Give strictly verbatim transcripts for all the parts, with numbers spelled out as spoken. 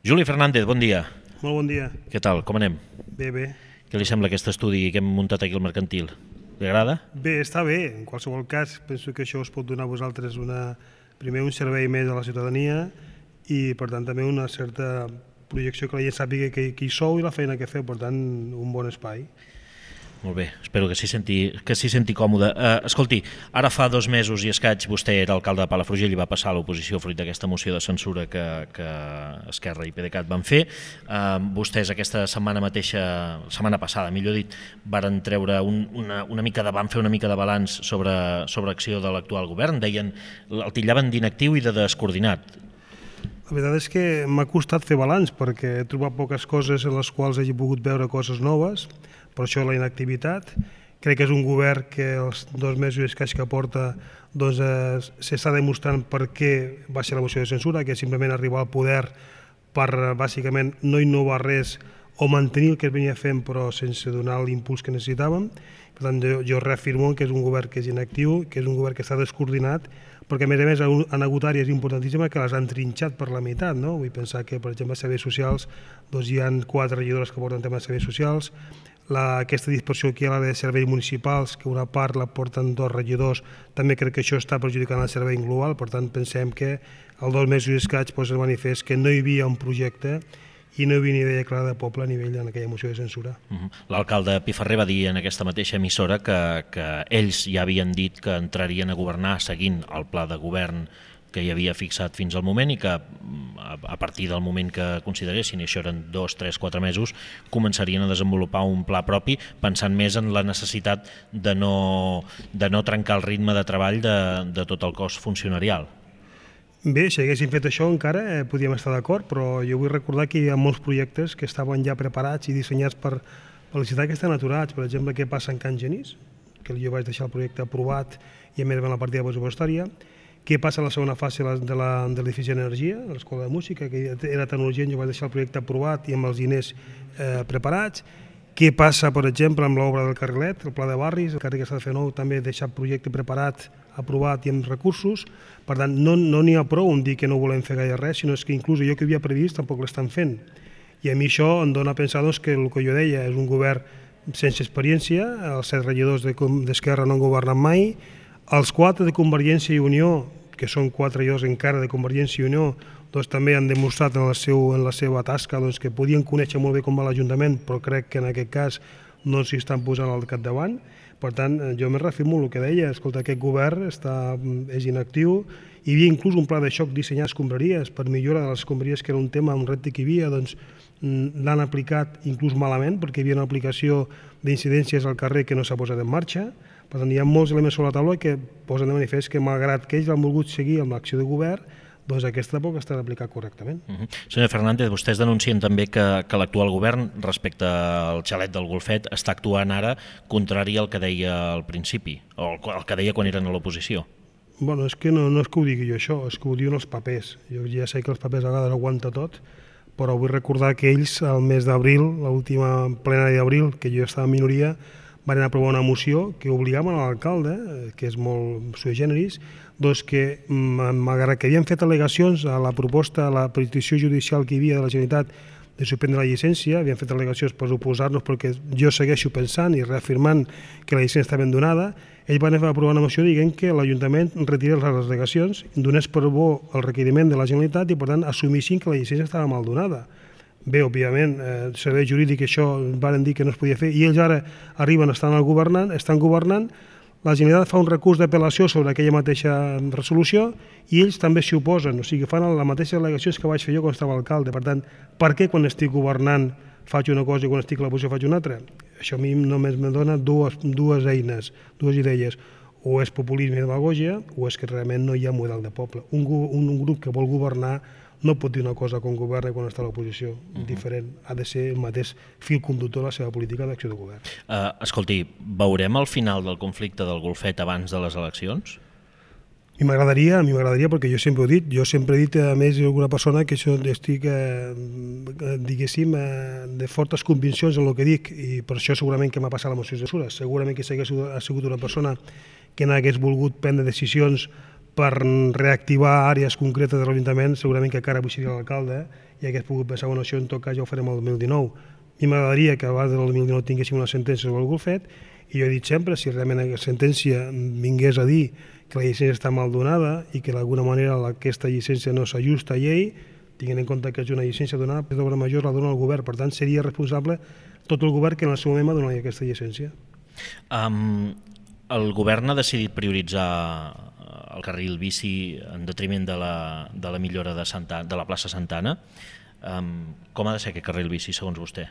Juli Fernández, bon dia. Molt bon dia. Què tal, com anem? Bé, bé. Què li sembla aquest estudi que hem muntat aquí al Mercantil? Li agrada? Bé, està bé. En qualsevol cas, penso que això us pot donar a vosaltres una, primer un servei més a la ciutadania i, per tant, també una certa projecció que la gent sàpiga que, que hi sou i la feina que feu, per tant, un bon espai. Molt bé, espero que s'hi senti, que s'hi senti còmode. Uh, escolti, ara fa dos mesos i escaig vostè era alcalde de Palafrugell i va passar a l'oposició fruit d'aquesta moció de censura que, que Esquerra i PDeCAT van fer. Uh, vostès aquesta setmana mateixa, setmana passada, millor dit, varen treure un, una, una mica de, van fer una mica de balanç sobre, sobre acció de l'actual govern. Deien, el titllaven d'inactiu i de descoordinat. La veritat és que m'ha costat fer balanç perquè he trobat poques coses en les quals hagi pogut veure coses noves, per això la inactivitat. Crec que és un govern que els dos mesos i escaig que porta doncs, eh, s'està demostrant per què va ser la moció de censura, que és simplement arribar al poder per bàsicament no innovar res o mantenir el que es venia fent però sense donar l'impuls que necessitàvem. Per tant, jo, jo reafirmo que és un govern que és inactiu, que és un govern que està descoordinat, perquè a més a més han hagut àrees importantíssimes que les han trinxat per la meitat. No? Vull pensar que, per exemple, a serveis socials doncs hi ha quatre regidores que porten temes de serveis socials, la, aquesta dispersió que hi ha a l'àrea de serveis municipals, que una part la porten dos regidors, també crec que això està perjudicant el servei global, per tant pensem que el dos mesos i escaig posa el manifest que no hi havia un projecte i no hi havia ni idea clara de poble a nivell en aquella moció de censura. Uh-huh. L'alcalde Piferrer va dir en aquesta mateixa emissora que, que ells ja havien dit que entrarien a governar seguint el pla de govern que hi havia fixat fins al moment i que a partir del moment que consideressin, i això eren dos, tres, quatre mesos, començarien a desenvolupar un pla propi pensant més en la necessitat de no, de no trencar el ritme de treball de, de tot el cos funcionarial. Bé, si haguéssim fet això encara eh, podíem estar d'acord, però jo vull recordar que hi ha molts projectes que estaven ja preparats i dissenyats per, per la ciutat que estan aturats. Per exemple, què passa en Can Genís, que jo vaig deixar el projecte aprovat i a més en la partida pressupostària. Què passa en la segona fase de l'edifici d'energia, de l'escola de música, que era tan urgent, jo vaig deixar el projecte aprovat i amb els diners eh, preparats. Què passa, per exemple, amb l'obra del carrilet, el pla de barris, el carrer que s'ha de fer nou, també deixar el projecte preparat, aprovat i amb recursos. Per tant, no n'hi ha prou en dir que no volem fer gaire res, sinó que inclús allò que havia previst tampoc l'estan fent. I a mi això em dona a pensar doncs, que el que jo deia és un govern sense experiència, els set regidors d'Esquerra no han governat mai, els quatre de Convergència i Unió, que són quatre regidors encara de Convergència i Unió, doncs també han demostrat en la, seu, en la seva tasca doncs, que podien conèixer molt bé com va l'Ajuntament, però crec que en aquest cas no s'hi estan posant al capdavant. Per tant, jo me reafirmo el que deia, escolta, aquest govern està, és inactiu, hi havia inclús un pla de xoc dissenyar escombraries per millora de les escombraries, que era un tema, un repte que hi havia, doncs l'han aplicat inclús malament, perquè hi havia una aplicació d'incidències al carrer que no s'ha posat en marxa. Per tant, hi ha molts elements sobre la taula que posen de manifest que, malgrat que ells han volgut seguir amb l'acció de govern, doncs aquesta tampoc està aplicat correctament. Uh-huh. Senyor Fernández, vostès denuncien també que, que l'actual govern, respecte al xalet del Golfet, està actuant ara contrari al que deia al principi, o el que deia quan eren a l'oposició. Bueno, és que no, no és que ho digui jo això, és que ho diuen els papers. Jo ja sé que els papers a vegades aguanta tot, però vull recordar que ells, al mes d'abril, l'última plenari d'abril, que jo estava en minoria, van aprovar una moció que obligaven a l'alcalde, que és molt sui generis, doncs que, malgrat que havien fet al·legacions a la proposta, a la petició judicial que hi havia de la Generalitat de suspendre la llicència, havien fet al·legacions per oposar-nos perquè jo segueixo pensant i reafirmant que la llicència està ben donada, ells van aprovar una moció dient que l'Ajuntament retirés les al·legacions, donés per bo el requeriment de la Generalitat i, per tant, assumissin que la llicència estava mal donada. Bé, òbviament, el eh, servei jurídic això van dir que no es podia fer i ells ara arriben, estan al governant, estan governant, la Generalitat fa un recurs d'apel·lació sobre aquella mateixa resolució i ells també s'hi oposen, o sigui, fan les mateixes al·legacions que vaig fer jo quan estava alcalde. Per tant, per què quan estic governant faig una cosa i quan estic a l'oposició faig una altra? Això a mi només me dona dues, dues eines, dues idees. O és populisme i demagogia o és que realment no hi ha model de poble. Un, un, un grup que vol governar no pot dir una cosa quan governa i quan està a l'oposició. Uh-huh. Diferent. Ha de ser el mateix fil conductor de la seva política d'acció de govern. Uh, escolti, veurem el final del conflicte del Golfet abans de les eleccions? A mi m'agradaria, a mi m'agradaria perquè jo sempre ho he dit, jo sempre he dit a més alguna persona que això estic, eh, diguéssim, eh, de fortes conviccions en el que dic i per això segurament que m'ha passat la moció de censura. Segurament que si hagués sigut una persona que n'hagués volgut prendre decisions per reactivar àrees concretes de l'Ajuntament, segurament que encara avui seria l'alcalde i hagués pogut pensar, bueno, això en tot cas ja ho farem el dos mil dinou. A mi m'agradaria que abans del dos mil dinou tinguéssim una sentència sobre el Golfet, i jo he dit sempre, si realment la sentència vingués a dir que la llicència està mal donada i que d'alguna manera aquesta llicència no s'ajusta a llei, tinguent en compte que és una llicència donada, per d'obra major la dona el govern, per tant seria responsable tot el govern que en el seu moment va donar aquesta llicència. Um, el govern ha decidit prioritzar el carril bici en detriment de la, de la millora de, Santa, de la plaça Santana. Um, com ha de ser aquest carril bici, segons vostè?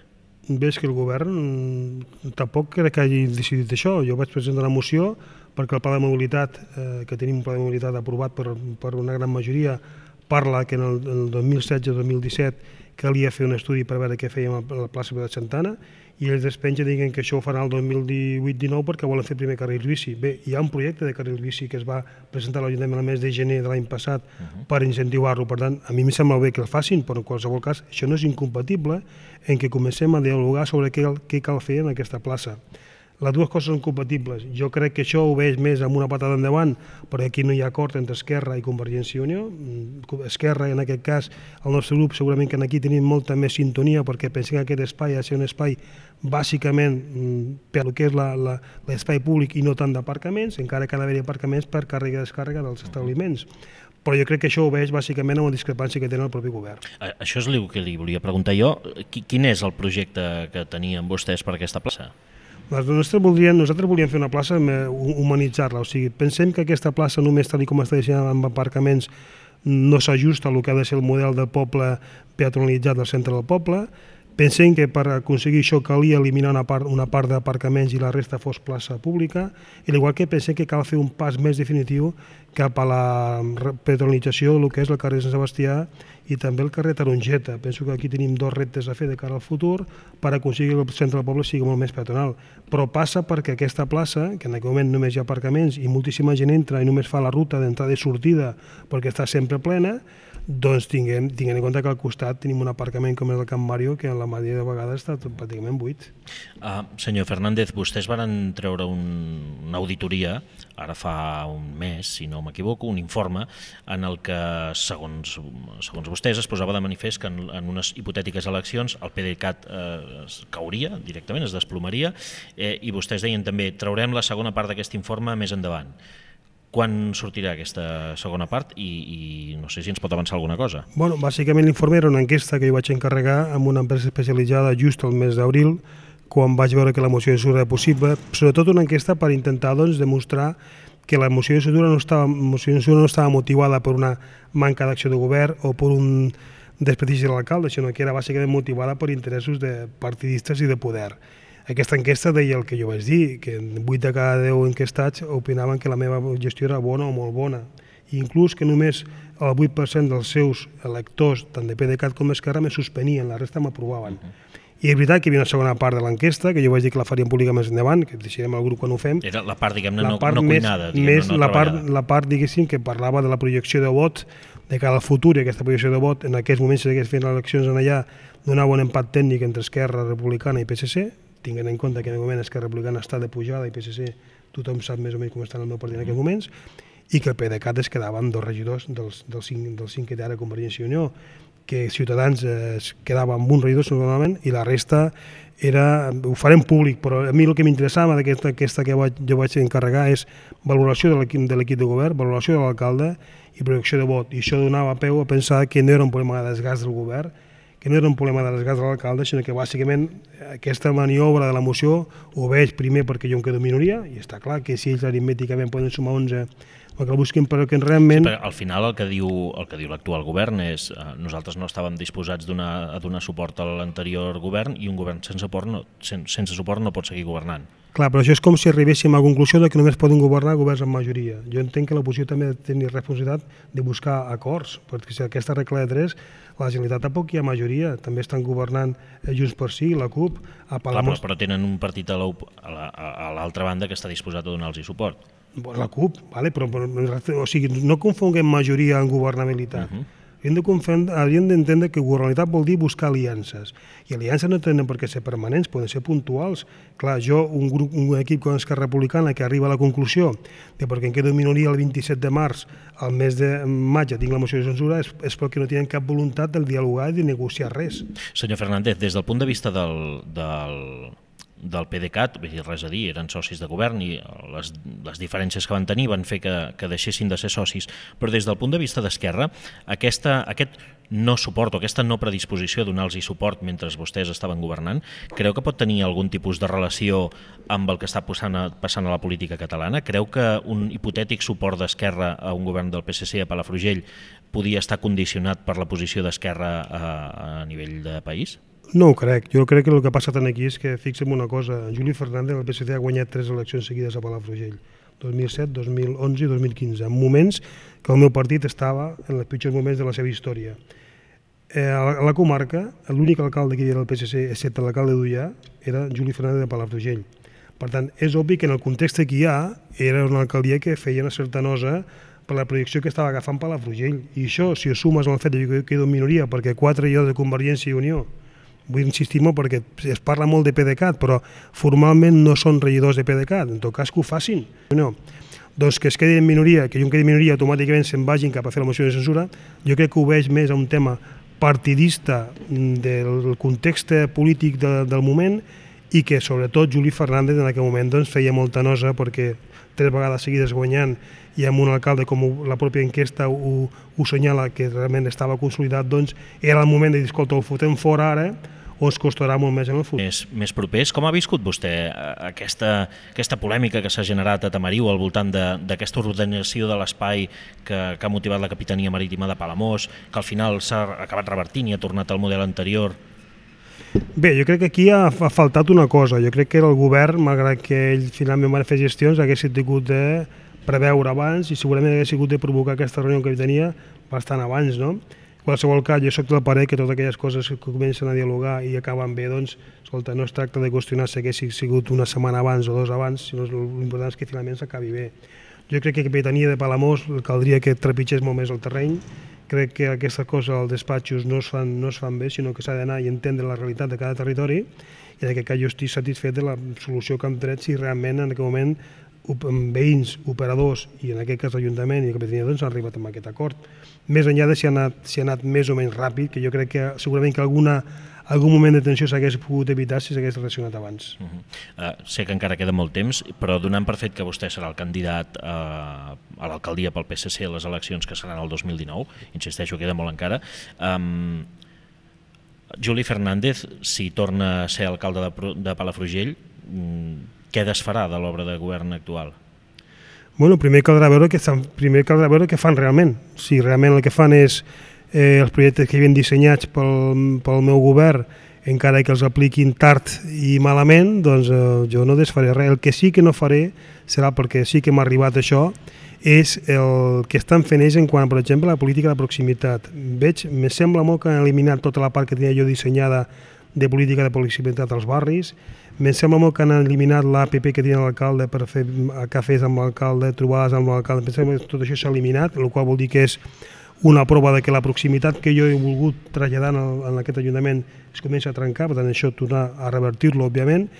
Bé, és que el govern tampoc crec que hagi decidit això. Jo vaig presentar una moció perquè el pla de mobilitat, eh, que tenim un pla de mobilitat aprovat per, per una gran majoria, parla que en el, en el dos mil setze dos mil disset calia fer un estudi per veure què fèiem a la plaça de Santana, i ells despengen diguen que això ho faran el dos mil divuit dinou perquè volen fer primer carrils bici. Bé, hi ha un projecte de carrils bici que es va presentar a l'Ajuntament el mes de gener de l'any passat uh-huh. per incentivar-lo, per tant, a mi em sembla bé que el facin, però en qualsevol cas això no és incompatible en què comencem a dialogar sobre què, què cal fer en aquesta plaça. Les dues coses són compatibles. Jo crec que això ho veig més amb una patada endavant, perquè aquí no hi ha acord entre Esquerra i Convergència i Unió. Esquerra, en aquest cas, el nostre grup, segurament que aquí tenim molta més sintonia, perquè pensem que aquest espai ha de ser un espai bàsicament per el que és l'espai públic i no tant d'aparcaments, encara que ha d'haver aparcaments per càrrega i descàrrega dels establiments. Però jo crec que això ho veig bàsicament amb la discrepància que tenen el propi govern. Això és el que li volia preguntar jo. Quin és el projecte que tenien vostès per aquesta plaça? Nosaltres volíem, nosaltres volíem fer una plaça, humanitzar-la, o sigui, pensem que aquesta plaça només tal com està dissenyada amb aparcaments no s'ajusta al que ha de ser el model de poble peatonalitzat del centre del poble. Pensem que per aconseguir això calia eliminar una part, una part d'aparcaments i la resta fos plaça pública, i igual que pensem que cal fer un pas més definitiu cap a la peatonalització del que és el carrer Sant Sebastià i també el carrer Tarongeta. Penso que aquí tenim dos reptes a fer de cara al futur per aconseguir que el centre del poble sigui molt més peatonal. Però passa perquè aquesta plaça, que en aquest moment només hi ha aparcaments i moltíssima gent entra i només fa la ruta d'entrada i sortida perquè està sempre plena, doncs tinguem, tinguem en compte que al costat tenim un aparcament com és el Camp Mario que en la majoria de vegades està pràcticament buit. Uh, senyor Fernández, vostès van treure un, una auditoria, ara fa un mes, si no m'equivoco, un informe en el que, segons, segons vostès, es posava de manifest que en, en unes hipotètiques eleccions el PDeCAT eh, es cauria directament, es desplomaria, eh, i vostès deien també traurem la segona part d'aquest informe més endavant. Quan sortirà aquesta segona part i, i no sé si ens pot avançar alguna cosa? Bueno, bàsicament l'informe era una enquesta que jo vaig encarregar amb una empresa especialitzada just al mes d'abril, quan vaig veure que la moció de censura era possible, sobretot una enquesta per intentar doncs, demostrar que la moció de censura no estava, moció de censura no estava motivada per una manca d'acció de govern o per un desprestigi de l'alcalde, sinó que era bàsicament motivada per interessos de partidistes i de poder. Aquesta enquesta deia el que jo vaig dir, que vuit de cada deu enquestats opinaven que la meva gestió era bona o molt bona. I inclús que només el vuit per cent dels seus electors, tant de PDeCAT com d'Esquerra, me suspenien, la resta m'aprovaven. Uh-huh. I és veritat que hi havia una segona part de l'enquesta, que jo vaig dir que la faríem pública més endavant, que deixarem el grup quan ho fem. Era la part, diguem-ne, no, part no més, cuinada, diguem-ne, més no la part, treballada. la part, diguéssim, que parlava de la projecció de vot de cara al futur, i aquesta projecció de vot, en aquests moments, si s'hagués fet les eleccions en allà, donava un empat tècnic entre Esquerra Republicana i P S C, tinguent en compte que en el moment Esquerra Republicana està de pujada i P S C tothom sap més o menys com està en el meu partit en aquests moments, i que el PDeCAT es quedava amb dos regidors dels, dels, cinc, dels cinc que té ara Convergència i Unió, que Ciutadans es quedava amb un regidor normalment i la resta era, ho farem públic, però a mi el que m'interessava d'aquesta aquesta que vaig, jo vaig encarregar és valoració de l'equip de l'equip de govern, valoració de l'alcalde i projecció de vot, i això donava peu a pensar que no era un problema de desgast del govern, que no era un problema de desgast de l'alcalde, sinó que bàsicament aquesta maniobra de la moció ho veig primer perquè jo em quedo minoria, i està clar que si ells aritmèticament poden sumar onze, el que busquin, però que realment... Sí, al final el que diu el que diu l'actual govern és eh, nosaltres no estàvem disposats donar, a donar suport a l'anterior govern i un govern sense suport, no, sen, sense suport no pot seguir governant. Clar, però això és com si arribéssim a la conclusió de que només poden governar governs amb majoria. Jo entenc que l'oposició també ha de tenir responsabilitat de buscar acords, perquè si aquesta regla de tres, la Generalitat tampoc hi ha majoria, també estan governant Junts per Sí, la CUP... A Clar, però, però tenen un partit a l'altra banda que està disposat a donar-los suport. La CUP, vale? però, però o sigui, no confonguem majoria en governabilitat. Uh-huh. Hauríem d'entendre que governabilitat vol dir buscar aliances. I aliances no tenen per què ser permanents, poden ser puntuals. Clar, jo, un, grup, un equip com Esquerra Republicana que arriba a la conclusió de perquè em quedo en minoria el vint-i-set de març, al mes de maig ja tinc la moció de censura, és, és perquè no tenen cap voluntat de dialogar i de negociar res. Senyor Fernández, des del punt de vista del, del, del PDeCAT, vull dir, res a dir, eren socis de govern i les, les diferències que van tenir van fer que, que deixessin de ser socis, però des del punt de vista d'Esquerra, aquesta, aquest no suport o aquesta no predisposició a donar-los suport mentre vostès estaven governant, creu que pot tenir algun tipus de relació amb el que està passant a, passant a la política catalana? Creu que un hipotètic suport d'Esquerra a un govern del P S C a Palafrugell podia estar condicionat per la posició d'Esquerra a, a nivell de país? No ho crec. Jo crec que el que ha passat aquí és que, fixem una cosa, Juli Fernández del P S C ha guanyat tres eleccions seguides a Palafrugell, dos mil set, dos mil onze i dos mil quinze, en moments que el meu partit estava en els pitjors moments de la seva història. Eh, a la comarca, l'únic alcalde que hi havia del P S C, excepte l'alcalde d'Ullà, era Juli Fernández de Palafrugell. Per tant, és obvi que en el context que hi ha, era una alcaldia que feia una certa nosa per la projecció que estava agafant Palafrugell. I això, si ho sumes al fet que jo quedo en minoria, perquè quatre jo de Convergència i Unió, vull insistir molt perquè es parla molt de PDeCAT, però formalment no són regidors de PDeCAT, en tot cas que ho facin. No. Doncs que es quedi en minoria, que jo em quedi en minoria, automàticament se'n vagin cap a fer la moció de censura, jo crec que ho veig més a un tema partidista del context polític de, del moment i que sobretot Juli Fernández en aquell moment doncs, feia molta nosa perquè tres vegades seguides guanyant i amb un alcalde com la pròpia enquesta ho, ho senyala que realment estava consolidat, doncs era el moment de dir, escolta, el fotem fora ara o ens costarà molt més en el futur. Més, més propers, com ha viscut vostè aquesta, aquesta polèmica que s'ha generat a Tamariu al voltant d'aquesta ordenació de l'espai que, que ha motivat la Capitania Marítima de Palamós, que al final s'ha acabat revertint i ha tornat al model anterior? Bé, jo crec que aquí ha, ha faltat una cosa. Jo crec que el govern, malgrat que ell finalment va fer gestions, hagués tingut de preveure abans i segurament hagués hagut de provocar aquesta reunió que tenia bastant abans, no? En qualsevol cas, jo soc del parer que totes aquelles coses que comencen a dialogar i acaben bé, doncs, escolta, no es tracta de qüestionar si hagués sigut una setmana abans o dos abans, sinó l'important és que finalment s'acabi bé. Jo crec que la Capitania de Palamós caldria que trepitgés molt més el terreny. Crec que aquestes coses als despatxos no es fan, no es fan bé, sinó que s'ha d'anar i entendre la realitat de cada territori, i en aquest cas jo estic satisfet de la solució que hem tret si realment en aquest moment veïns, operadors i en aquest cas l'Ajuntament i la Capitania doncs, han arribat a aquest acord. Més enllà de si ha, anat, si ha anat més o menys ràpid, que jo crec que segurament que alguna, algun moment de tensió s'hagués pogut evitar si s'hagués reaccionat abans. Uh -huh. uh, sé que encara queda molt temps, però donant per fet que vostè serà el candidat uh, a l'alcaldia pel P S C a les eleccions que seran el dos mil dinou, insisteixo, queda molt encara, um, Juli Fernández, si torna a ser alcalde de, de Palafrugell, um, què desfarà de l'obra de govern actual? Bueno, primer caldrà veure què, primer caldrà veure què fan realment. Si realment el que fan és eh, els projectes que hi havien dissenyats pel, pel meu govern, encara que els apliquin tard i malament, doncs eh, jo no desfaré res. El que sí que no faré serà, perquè sí que m'ha arribat això, és el que estan fent ells en quant, per exemple, a la política de proximitat. Veig, me sembla molt que han eliminat tota la part que tenia jo dissenyada de política de proximitat als barris. Em sembla molt que han eliminat l'A P P que tenia l'alcalde per fer cafès amb l'alcalde, trobades amb l'alcalde. Em sembla que tot això s'ha eliminat, el qual vol dir que és una prova de que la proximitat que jo he volgut traslladar en, en aquest Ajuntament es comença a trencar, per tant això tornar a revertir-lo, òbviament,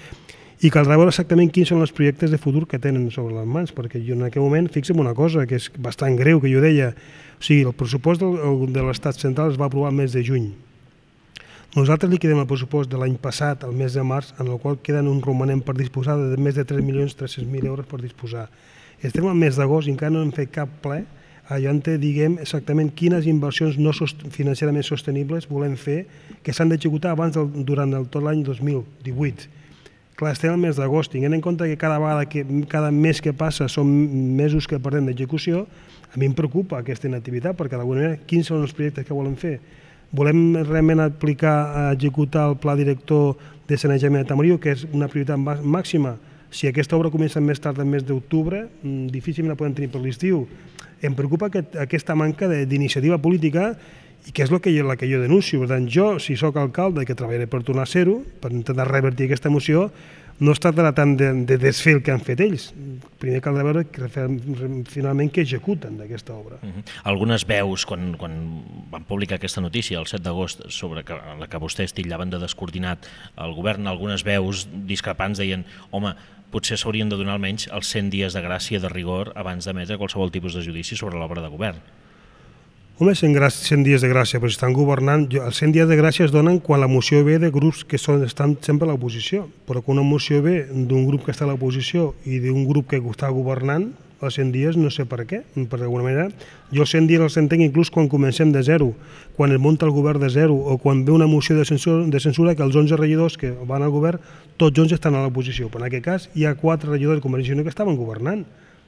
i caldrà veure exactament quins són els projectes de futur que tenen sobre les mans, perquè jo en aquell moment, fixem una cosa, que és bastant greu, que jo deia, o sigui, el pressupost del, de l'Estat central es va aprovar el mes de juny. Nosaltres liquidem el pressupost de l'any passat, el mes de març, en el qual queden un romanent per disposar de més de tres milions tres-cents mil euros per disposar. Estem al mes d'agost i encara no hem fet cap ple allà on diguem exactament quines inversions no sost financerament sostenibles volem fer que s'han d'executar abans del, durant el, tot l'any dos mil divuit. Clar, estem al mes d'agost, tinguent en compte que cada vegada que cada mes que passa són mesos que perdem d'execució, a mi em preocupa aquesta inactivitat, perquè d'alguna manera quins són els projectes que volem fer? Volem realment aplicar, executar el pla director de sanejament de Tamariu, que és una prioritat màxima. Si aquesta obra comença més tard, el mes d'octubre, difícilment la podem tenir per l'estiu. Em preocupa aquest, aquesta manca d'iniciativa política i que és la que, jo, la que jo denuncio. Per tant, jo, si sóc alcalde, que treballaré per tornar a ser-ho, per intentar revertir aquesta moció, no es tractarà tant de, de desfer el que han fet ells. Primer caldrà veure que, finalment què executen d'aquesta obra. Uh -huh. Algunes veus, quan, quan van publicar aquesta notícia el set d'agost sobre que, la que vostès titllaven de descoordinat el govern, algunes veus discrepants deien, home, potser s'haurien de donar almenys els cent dies de gràcia de rigor abans d'emetre qualsevol tipus de judici sobre l'obra de govern. Home, cent dies de gràcia, però si estan governant... Els cent dies de gràcia es donen quan la moció ve de grups que són, estan sempre a l'oposició, però quan una moció ve d'un grup que està a l'oposició i d'un grup que està governant, els cent dies no sé per què, per d'alguna manera. Jo els cent dies els entenc inclús quan comencem de zero, quan es munta el govern de zero, o quan ve una moció de censura, de censura que els onze regidors que van al govern, tots onze estan a l'oposició, però en aquest cas hi ha quatre regidors de Convergència i Unió que estaven governant.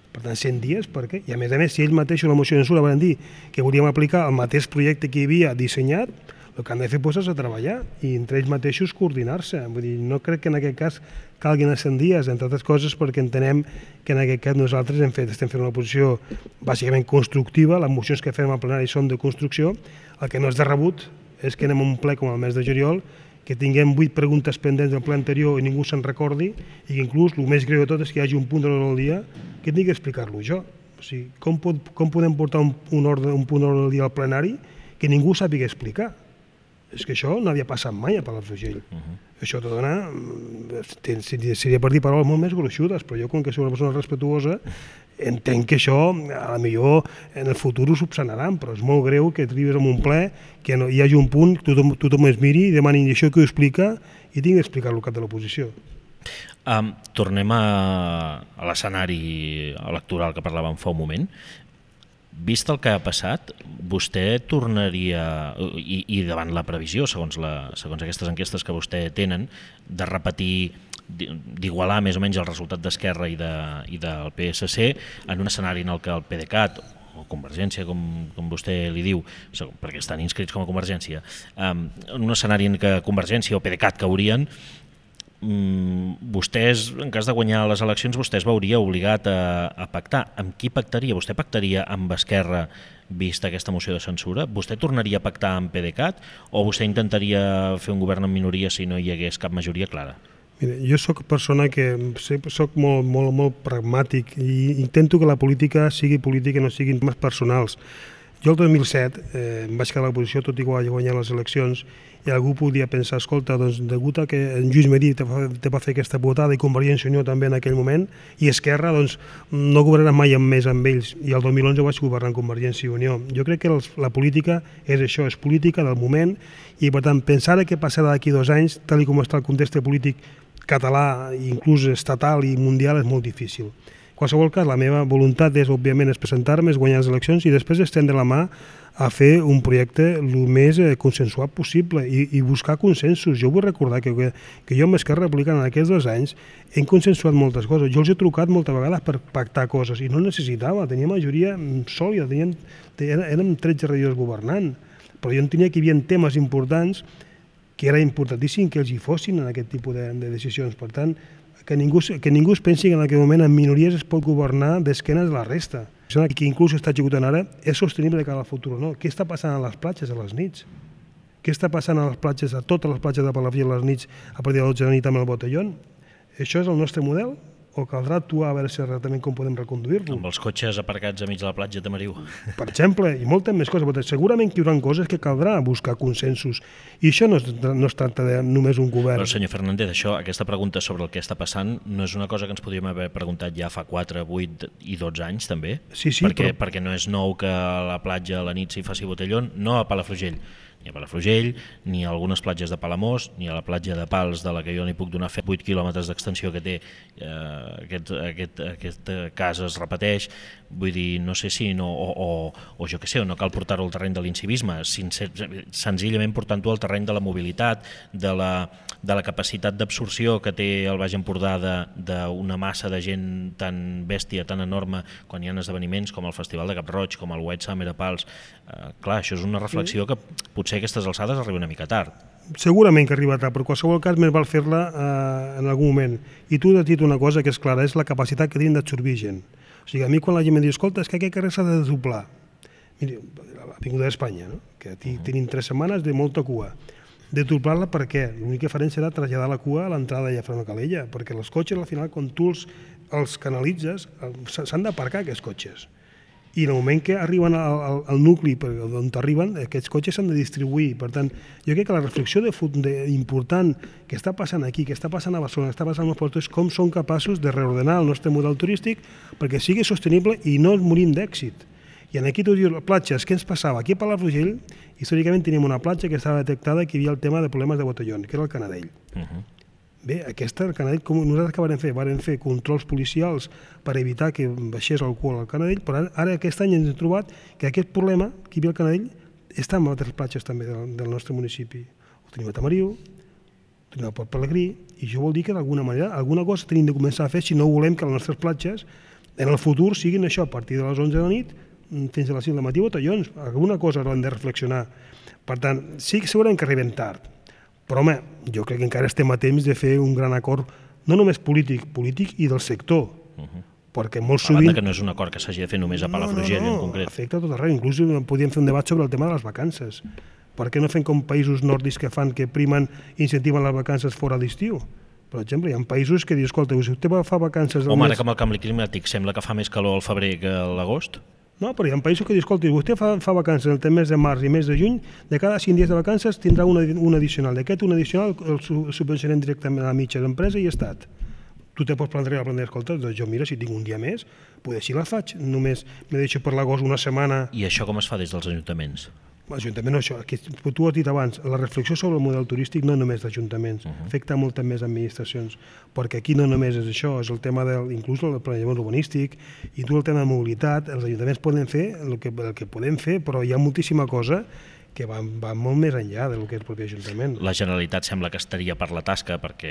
Per tant, cent dies, per què? I a més a més, si ells mateixos la moció de censura van dir que volíem aplicar el mateix projecte que hi havia dissenyat, el que han de fer és a treballar i entre ells mateixos coordinar-se. Vull dir, no crec que en aquest cas calguin els cent dies, entre altres coses perquè entenem que en aquest cas nosaltres hem fet, estem fent una posició bàsicament constructiva, les mocions que fem al plenari són de construcció, el que no és de rebut és que anem a un ple com el mes de juliol, que tinguem vuit preguntes pendents del ple anterior i ningú se'n recordi, i que inclús el més greu de tot és que hi hagi un punt de l'ordre del dia que tingui que explicar-lo jo. O sigui, com, pot, com podem portar un, un, ordre, un punt de l'ordre del dia al plenari que ningú sàpiga explicar? És que això no havia passat mai a Palafrugell. Uh -huh. Això te dona... Seria per dir paraules molt més gruixudes, però jo, com que soc una persona respetuosa, entenc que això, a la millor, en el futur ho subsanaran, però és molt greu que arribis a un ple, que no, hi hagi un punt, tothom, tothom es miri i demani això que ho explica i tingui d'explicar-lo al cap de l'oposició. Um, tornem a, a l'escenari electoral que parlàvem fa un moment. Vist el que ha passat, vostè tornaria, i, i davant la previsió, segons, la, segons aquestes enquestes que vostè tenen, de repetir, d'igualar més o menys el resultat d'Esquerra i, de, i del P S C en un escenari en el que el PDeCAT o Convergència, com, com vostè li diu, perquè estan inscrits com a Convergència, um, en un escenari en què Convergència o PDeCAT caurien, vostès, en cas de guanyar les eleccions, vostè es veuria obligat a, a pactar. Amb qui pactaria? Vostè pactaria amb Esquerra vista aquesta moció de censura? Vostè tornaria a pactar amb PDeCAT o vostè intentaria fer un govern en minoria si no hi hagués cap majoria clara? Mira, jo sóc persona que soc molt, molt, molt pragmàtic i intento que la política sigui política i no siguin temes personals. Jo el dos mil set eh, em vaig quedar a l'oposició tot i que vaig guanyar les eleccions i algú podria pensar, escolta, doncs degut a que en Lluís Merí te va, te va fer aquesta votada i Convergència i Unió també en aquell moment i Esquerra, doncs no governarà mai amb més amb ells i el dos mil onze vaig governar amb Convergència i Unió. Jo crec que els, la política és això, és política del moment i per tant pensar què passarà d'aquí dos anys, tal com està el context polític català, inclús estatal i mundial, és molt difícil. En qualsevol cas, la meva voluntat és, òbviament, és presentar-me, és guanyar les eleccions i després estendre la mà a fer un projecte el més consensuat possible i, i buscar consensos. Jo vull recordar que, que, que jo amb Esquerra Republicana en aquests dos anys hem consensuat moltes coses. Jo els he trucat moltes vegades per pactar coses i no necessitava, tenia majoria sòlida, tenien, érem tretze regidors governant, però jo entenia que hi havia temes importants que era importantíssim que els hi fossin en aquest tipus de, de decisions. Per tant, que ningú, que ningú es pensi que en aquest moment en minories es pot governar d'esquenes de la resta. Que inclús està executant ara és sostenible de cara al futur o no. Què està passant a les platges a les nits? Què està passant a les platges, a totes les platges de Palafrugell a les nits a partir de les dotze de la nit amb el botellón? Això és el nostre model? O caldrà actuar a veure si realment com podem reconduir-lo? Amb els cotxes aparcats a mig de la platja de Tamariu. Per exemple, i moltes més coses. Segurament que hi haurà coses que caldrà buscar consensos. I això no es, no es tracta de només un govern. Però, senyor Fernández, això, aquesta pregunta sobre el que està passant no és una cosa que ens podríem haver preguntat ja fa quatre, vuit i dotze anys, també? Sí, sí, perquè, però... perquè no és nou que a la platja a la nit s'hi faci botellón, no a Palafrugell. Ni a Palafrugell, ni a algunes platges de Palamós, ni a la platja de Pals, de la que jo n'hi puc donar fet vuit quilòmetres d'extensió que té eh, aquest, aquest, aquest cas es repeteix. Vull dir, no sé si no, o, o, o jo què sé, no cal portar-ho al terreny de l'incivisme, senzillament portant-ho al terreny de la mobilitat, de la, de la capacitat d'absorció que té el Baix Empordà d'una massa de gent tan bèstia, tan enorme, quan hi ha esdeveniments com el Festival de Cap-roig, com el White Summer a Pals. Eh, clar, això és una reflexió que potser a aquestes alçades arriba una mica tard. Segurament que arriba tard, però en qualsevol cas més val fer-la eh, en algun moment. I tu has dit una cosa que és clara, és la capacitat que tenim d'absorbir gent. O sigui, a mi quan la gent em diu, escolta, és que aquest carrer s'ha de doblar. Miri, l'Avinguda d'Espanya, no? Que aquí tenim tres setmanes de molta cua. Deturplar-la per què? L'únic que farem serà traslladar la cua a l'entrada de Llafranc de Calella, perquè els cotxes al final, quan tu els, els canalitzes, s'han d'aparcar aquests cotxes. I en el moment que arriben al, al, al nucli on arriben, aquests cotxes s'han de distribuir. Per tant, jo crec que la reflexió de, de, important que està passant aquí, que està passant a Barcelona, que està passant als ports, és com som capaços de reordenar el nostre model turístic perquè sigui sostenible i no morim d'èxit. I aquí tu dius, platges, què ens passava? Aquí a Palafrugell, històricament teníem una platja que estava detectada que hi havia el tema de problemes de botellón, que era el Canadell. Uh-huh. Bé, aquesta, el Canadell, com nosaltres què vam fer? Vam fer controls policials per evitar que baixés alcohol al Canadell, però ara aquest any ens hem trobat que aquest problema que hi havia al Canadell està en altres platges també del, del nostre municipi. Ho tenim a Tamariu, ho tenim a Port Pelegrí, i això vol dir que d'alguna manera alguna cosa tenim de començar a fer si no volem que les nostres platges en el futur siguin això, a partir de les onze de la nit fins a les cinc del matí botellons. Alguna cosa haurem de reflexionar. Per tant, sí que segurament que arribem tard, però home, jo crec que encara estem a temps de fer un gran acord, no només polític, polític i del sector, uh-huh. perquè molt sovint... A banda que no és un acord que s'hagi de fer només a Palafrugell no, no, no, en concret. Afecta tot arreu, inclús podríem fer un debat sobre el tema de les vacances. Per què no fem com països nòrdics que fan, que primen i incentiven les vacances fora d'estiu? Per exemple, hi ha països que diuen, escolta, si vostè va fa vacances... Home, ara que amb el canvi climàtic sembla que fa més calor al febrer que a l'agost. No, però hi ha països que diuen, escolta, vostè fa, fa vacances el mes de març i mes de juny, de cada cinc dies de vacances tindrà un, un addicional. D'aquest un addicional el subvencionem directament a la mitja d'empresa i estat. Tu te pots plantejar, plantejar, escolta, doncs jo mira, si tinc un dia més, potser si la faig, només me deixo per l'agost una setmana... I això com es fa des dels ajuntaments? L'Ajuntament no, això, que tu has dit abans, la reflexió sobre el model turístic no només d'ajuntaments, uh-huh. afecta moltes més administracions, perquè aquí no només és això, és el tema del, inclús el planejament urbanístic, i tu el tema de mobilitat, els ajuntaments poden fer el que, el que podem fer, però hi ha moltíssima cosa que va, va molt més enllà del que és el propi Ajuntament. La Generalitat sembla que estaria per la tasca perquè,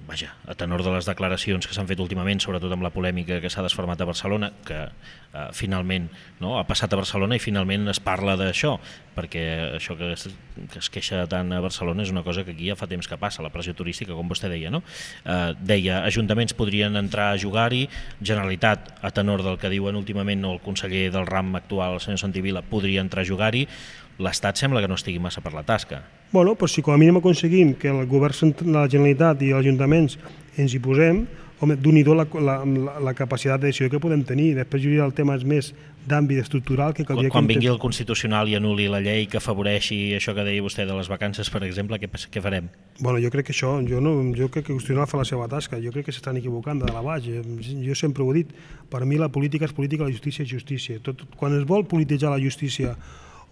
vaja, a tenor de les declaracions que s'han fet últimament, sobretot amb la polèmica que s'ha desfermat a Barcelona, que eh, finalment no, ha passat a Barcelona i finalment es parla d'això, perquè això que es, que es queixa tant a Barcelona és una cosa que aquí ja fa temps que passa, la pressió turística, com vostè deia, no? Eh, deia, ajuntaments podrien entrar a jugar-hi, Generalitat, a tenor del que diuen últimament el conseller del RAM actual, el senyor Santivila, podria entrar a jugar-hi. L'Estat sembla que no estigui massa per la tasca. Bueno, però si com a mínim aconseguim que el govern de la Generalitat i els ajuntaments ens hi posem, home, d'un-hi-do la, la, la capacitat de decisió que podem tenir. Després hi hauria el tema més d'àmbit estructural que caldria... Quan, quan vingui el Constitucional i anul·li la llei que afavoreixi això que deia vostè de les vacances, per exemple, què, què farem? Bueno, jo crec que això, jo, no, jo crec que el Constitucional fa la seva tasca, jo crec que s'estan equivocant de dalt a baix. Jo sempre ho he dit, per mi la política és política, la justícia és justícia. Tot, quan es vol polititzar la justícia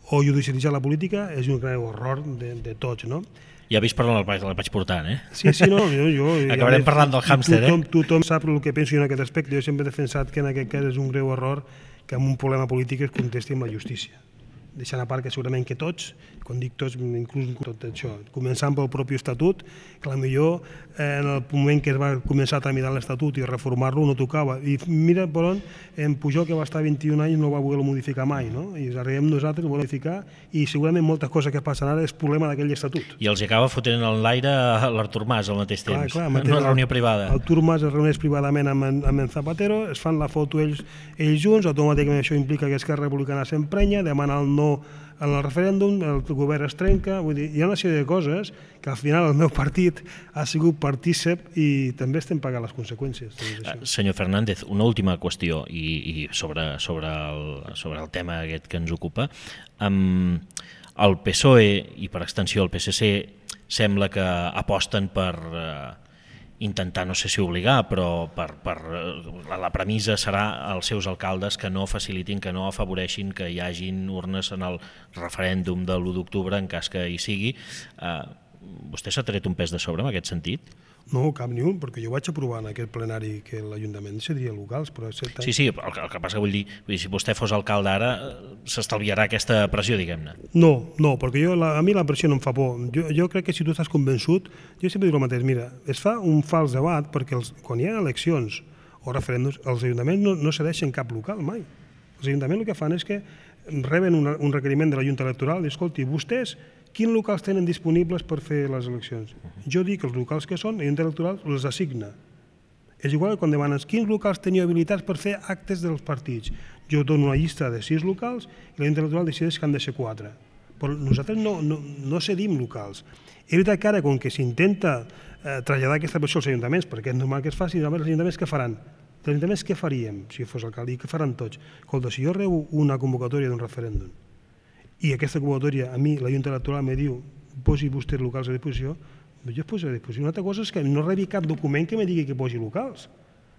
o judicialitzar la política és un gran error de, de tots, no? Ja vist per on el vaig, el vaig portar, eh? Sí, sí, no, jo... jo Acabarem més, parlant del hàmster, tothom, eh? Tothom sap el que penso jo en aquest aspecte. Jo sempre he defensat que en aquest cas és un greu error que amb un problema polític es contesti amb la justícia. Deixant a part que segurament que tots, quan dic tots, inclús tot això, començant pel propi estatut, que potser en el moment que es va començar a tramitar l'Estatut i reformar-lo no tocava. I mira per on en Pujol, que va estar vint-i-un anys, no va voler modificar mai, no? I arribem nosaltres, ho volem modificar, i segurament moltes coses que passen ara és problema d'aquell estatut. I els acaba fotent en l'aire l'Artur Mas al mateix temps, clar, clar, en una reunió privada. Artur Mas es reuneix privadament amb en, amb en Zapatero, es fan la foto ells, ells junts, automàticament això implica que Esquerra Republicana s'emprenya, demana el no en el referèndum, el govern es trenca, vull dir, hi ha una sèrie de coses que al final el meu partit ha sigut partícip i també estem pagant les conseqüències. Uh, senyor Fernández, una última qüestió i, i sobre, sobre, el, sobre el tema aquest que ens ocupa. Um, el P S O E i per extensió el P S C sembla que aposten per... Uh, intentar, no sé si obligar, però per, per, la premissa serà als seus alcaldes que no facilitin, que no afavoreixin que hi hagin urnes en el referèndum de l'u d'octubre en cas que hi sigui. Eh, vostè s'ha tret un pes de sobre en aquest sentit? No, cap ni un, perquè jo vaig aprovar en aquest plenari que l'Ajuntament seria locals, però... Set... Sí, sí, el, el que passa que vull dir, vull dir, si vostè fos alcalde ara, s'estalviarà aquesta pressió, diguem-ne. No, no, perquè jo, la, a mi la pressió no em fa por. Jo, jo crec que si tu estàs convençut, jo sempre dic el mateix, mira, es fa un fals debat perquè els, quan hi ha eleccions o referèndums, els ajuntaments no, no cedeixen cap local mai. Els ajuntaments el que fan és que reben una, un requeriment de la Junta Electoral i, escolti, vostès quins locals tenen disponibles per fer les eleccions? Jo dic que els locals que són, la Junta Electoral els assigna. És igual que quan demanes quins locals teniu habilitats per fer actes dels partits. Jo dono una llista de sis locals i la Junta Electoral decideix que han de ser quatre. però nosaltres no, no, no cedim locals. És veritat que ara, com que s'intenta eh, traslladar aquesta versió als ajuntaments, perquè és normal que es faci, els ajuntaments què faran? Els ajuntaments què faríem si fos alcalde? I què faran tots? Escolta, si jo rebo una convocatòria d'un referèndum i aquesta convocatòria a mi, la Junta Electoral, me diu posi vostès locals a disposició, jo es poso a disposició. Una altra cosa és que no rebi cap document que me digui que posi locals.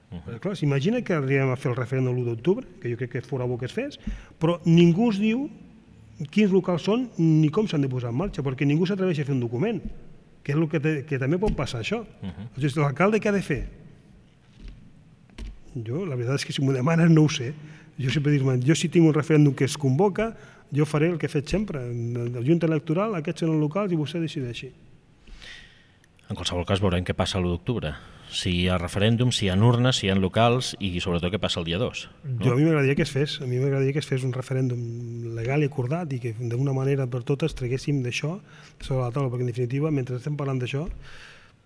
Uh -huh. Clar, s'imagina que arribem a fer el referèndum l'u d'octubre, que jo crec que fora bo que es fes, però ningú us diu quins locals són ni com s'han de posar en marxa, perquè ningú s'atreveix a fer un document, que és el que, te, que també pot passar això. Uh -huh. L'alcalde què ha de fer? Jo, la veritat és que si m'ho demanen no ho sé. Jo sempre dic, jo si tinc un referèndum que es convoca, jo faré el que he fet sempre. La Junta Electoral, aquests són els locals i vostè decideixi. En qualsevol cas veurem què passa l'u d'octubre. Si hi ha referèndum, si hi ha urnes, si hi ha locals i sobretot què passa el dia dos. No? Jo a mi m'agradaria que es fes, a mi m'agradaria que es fes un referèndum legal i acordat i que d'una manera per totes traguéssim d'això sobre la taula, perquè en definitiva, mentre estem parlant d'això,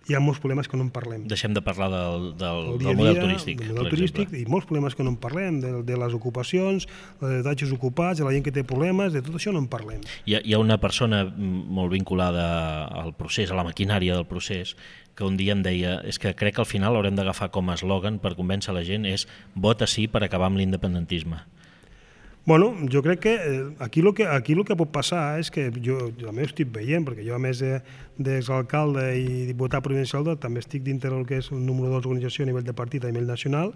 hi ha molts problemes que no en parlem. Deixem de parlar del, del, dia del model dia, turístic, del model turístic i molts problemes que no en parlem, de, de les ocupacions, dels habitatges ocupats, de la gent que té problemes, de tot això no en parlem. Hi ha, hi ha una persona molt vinculada al procés, a la maquinària del procés, que un dia em deia, és que crec que al final haurem d'agafar com a eslògan per convèncer la gent és vota sí per acabar amb l'independentisme. Bueno, jo crec que aquí el que, aquí el que pot passar és que jo, jo a més estic veient, perquè jo a més d'exalcalde i diputat provincial també estic dintre del que és el número dos d'organització a nivell de partit a nivell nacional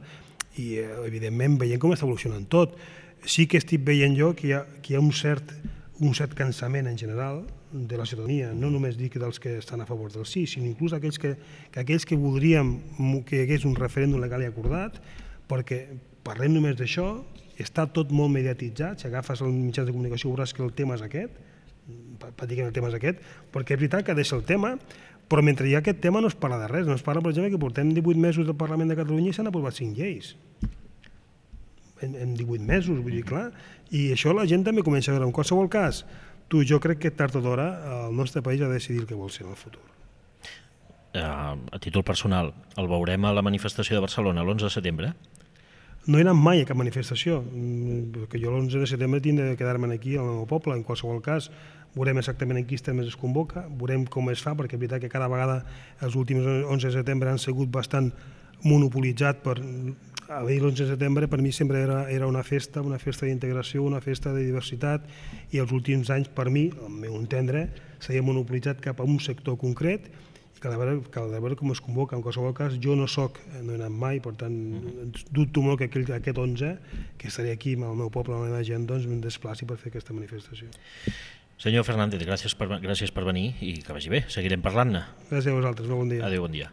i evidentment veient com està evolucionant tot. Sí que estic veient jo que hi ha, que hi ha un, cert, un cert cansament en general de la ciutadania, no només dic dels que estan a favor del sí, sinó inclús aquells que, que aquells que voldríem que hi hagués un referèndum legal i acordat, perquè parlem només d'això, està tot molt mediatitzat, si agafes els mitjans de comunicació veuràs que el tema és aquest, pràcticament el tema és aquest, perquè és veritat que deixa el tema, però mentre hi ha aquest tema no es parla de res, no es parla, per exemple, que portem divuit mesos del Parlament de Catalunya i s'han aprovat cinc lleis. En, en divuit mesos, vull dir, clar, i això la gent també comença a veure. En qualsevol cas, tu, jo crec que tard o d'hora el nostre país ha de decidir el que vol ser en el futur. Uh, a títol personal, el veurem a la manifestació de Barcelona l'onze de setembre? No he anat mai a cap manifestació, perquè jo l'onze de setembre tinc de quedar-me aquí al meu poble. En qualsevol cas, veurem exactament en quins termes es convoca, veurem com es fa, perquè és veritat que cada vegada els últims onze de setembre han sigut bastant monopolitzat per... A veure, l'onze de setembre per mi sempre era, era una festa, una festa d'integració, una festa de diversitat, i els últims anys, per mi, al meu entendre, s'ha monopolitzat cap a un sector concret, i cal veure, cal veure com es convoca. En qualsevol cas, jo no soc, no he anat mai, per tant, dubto molt que aquell, aquest onze, que estaré aquí amb el meu poble, amb la meva gent, doncs em desplaci per fer aquesta manifestació. Senyor Fernández, gràcies per, gràcies per venir i que vagi bé, seguirem parlant-ne. Gràcies a vosaltres, molt bon dia. Adéu, bon dia.